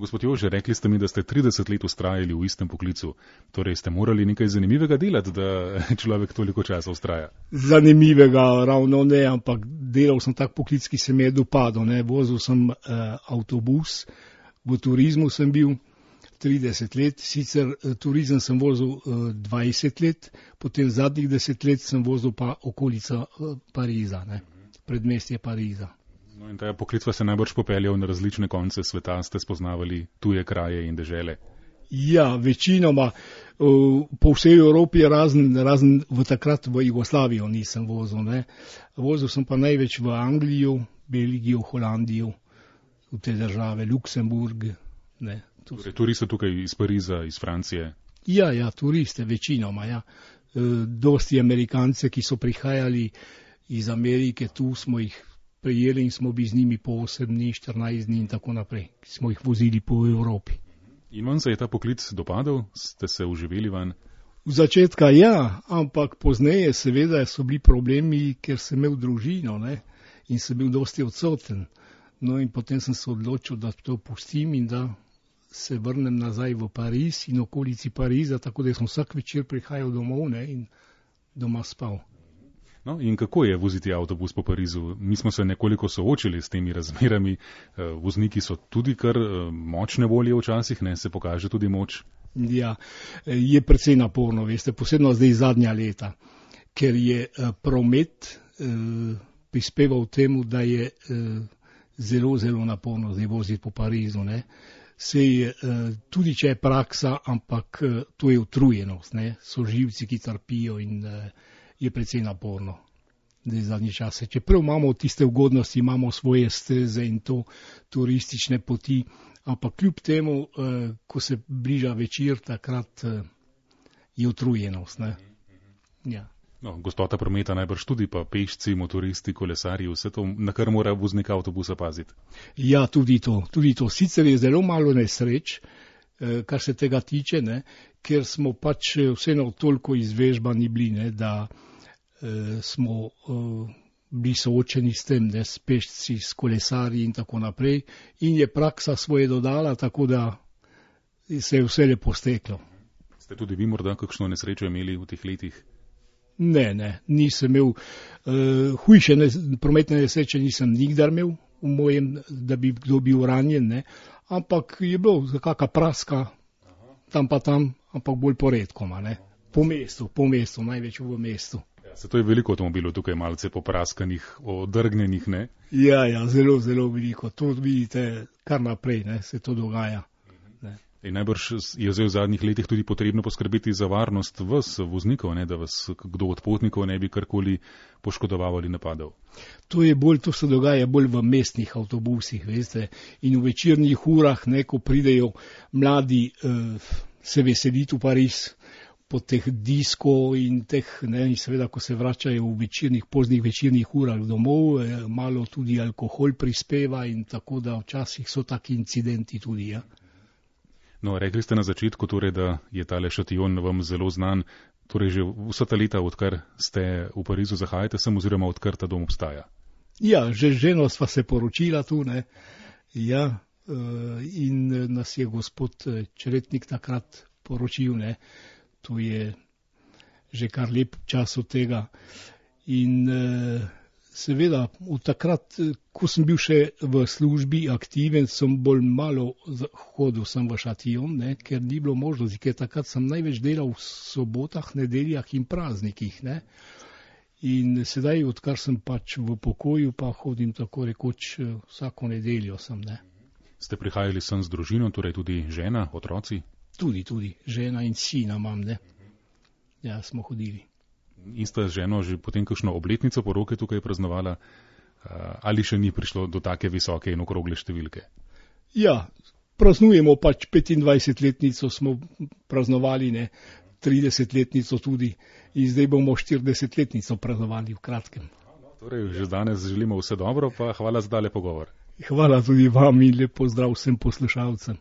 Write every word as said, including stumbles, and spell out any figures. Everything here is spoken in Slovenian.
Gospod Jože, rekli ste mi, da ste trideset let vztrajali v istem poklicu. Torej ste morali nekaj zanimivega delati, da človek toliko časa vztraja. Zanimivega ravno ne, ampak delal sem tak poklic, ki se mi je dopadal. Ne. Vozil sem uh, avtobus, v turizmu sem bil trideset let, sicer uh, turizem sem vozil uh, dvajset let, potem zadnjih deset let sem vozil pa okolica uh, Pariza, ne. Predmestje Pariza. No in ta poklic vas je najbrž popeljal na različne konce sveta, ste spoznavali tuje kraje in dežele. Ja, večinoma uh, po vsej Evropi, razen, razen v takrat v Jugoslavijo nisem vozil. Ne. Vozil sem pa največ v Anglijo, Belgijo, Holandijo, v te države, Luksemburg. Ne. Torej, turiste tukaj iz Pariza, iz Francije? Ja, ja, turiste večinoma, ja. Uh, dosti Amerikance, ki so prihajali iz Amerike, tu smo jih prijeli in smo bili z njimi po osem dni, štirinajst dni in tako naprej. Smo jih vozili po Evropi. In vam se je ta poklic dopadal? Ste se uživeli van? V začetka ja, ampak pozneje seveda so bili problemi, ker sem imel družino, ne, in sem bil dosti odsoten. No in potem sem se odločil, da to pustim in da se vrnem nazaj v Pariz in okolici Pariza, tako da sem vsak večer prihajal domov, ne, in doma spal. No, in kako je voziti avtobus po Parizu? Mi smo se nekoliko soočili s temi razmerami. Vozniki so tudi kar močne volje včasih, ne, se pokaže tudi moč. Ja, je precej naporno, veste, posebno zdaj zadnja leta, ker je promet eh, prispeval temu, da je eh, zelo, zelo naporno zdaj voziti po Parizu, ne. Sej, eh, tudi če je praksa, ampak eh, to je utrujenost, ne, so živci, ki trpijo in eh, je precej naporno, da je zadnji čase. Čeprav imamo tiste ugodnosti, imamo svoje steze in to turistične poti, ampak kljub temu, eh, ko se bliža večer, takrat eh, je utrujenost. Ne? Ja. No, gostota prometa najbrž tudi, pa pešci, motoristi, kolesarji, vse to, na kar mora voznik avtobusa paziti. Ja, tudi to, tudi to. Sicer je zelo malo nesreč, eh, kar se tega tiče, ne? Ker smo pač vseeno toliko izvežbani bili, ne? Da smo uh, bili soočeni s tem, ne, s pešci, s kolesarji in tako naprej. In je praksa svoje dodala, tako da se je vse lepo steklo. Ste tudi vi morda kakšno nesrečo imeli v teh letih? Ne, ne, nisem imel. Uh, hujše ne, prometne nesreče nisem nikdar imel v mojem, da bi kdo bil ranjen, ne. Ampak je bilo kakšna praska, tam pa tam, ampak bolj poredkoma, ne. Po mestu, po mestu, največ v mestu. Se to je veliko avtomobilov tukaj malce popraskanih, odrgnjenih, ne? Ja, ja, zelo, zelo veliko. To vidite kar naprej, ne, se to dogaja. Ne. In najbrž je zdaj v zadnjih letih tudi potrebno poskrbeti za varnost vas, voznikov, ne, da vas kdo od potnikov ne bi karkoli poškodoval ali napadal. To je bolj, to se dogaja bolj v mestnih avtobusih, veste, in v večernih urah, ne, ko pridejo mladi uh, se veseliti v Pariz, po teh disko in teh, ne, in seveda, ko se vračajo v večernih, poznih večernih urah domov, eh, malo tudi alkohol prispeva in tako da včasih so taki incidenti tudi, ja. No, rekli ste na začetku torej, da je tale šation vam zelo znan, torej že vsa ta leta, odkar ste v Parizu, zahajate sem oziroma odkar ta dom obstaja? Ja, že ženo sva se poročila tu, ne, ja, in nas je gospod Čretnik takrat poročil, ne. To je že kar lep čas od tega. In eh, seveda, od takrat, ko sem bil še v službi aktiven, sem bolj malo hodil sem v šation, ne, ker ni bilo možnosti, ker takrat sem največ delal v sobotah, nedeljah in praznikih. Ne. In sedaj, odkar sem pač v pokoju, pa hodim tako rekoč vsako nedeljo sem. Ne. Ste prihajali sem z družino, torej tudi žena, otroci? Tudi, tudi. Žena in sina imam, ne. Ja, smo hodili. In sta z ženo že potem kakšno obletnico poroke tukaj praznovala? Ali še ni prišlo do take visoke in okrogle številke? Ja, praznujemo pač petindvajsetletnico smo praznovali, ne. tridesetletnico tudi. In zdaj bomo štiridesetletnico praznovali v kratkem. Torej, že danes želimo vse dobro, pa hvala za tale pogovor. Hvala tudi vam in lep pozdrav vsem poslušalcem.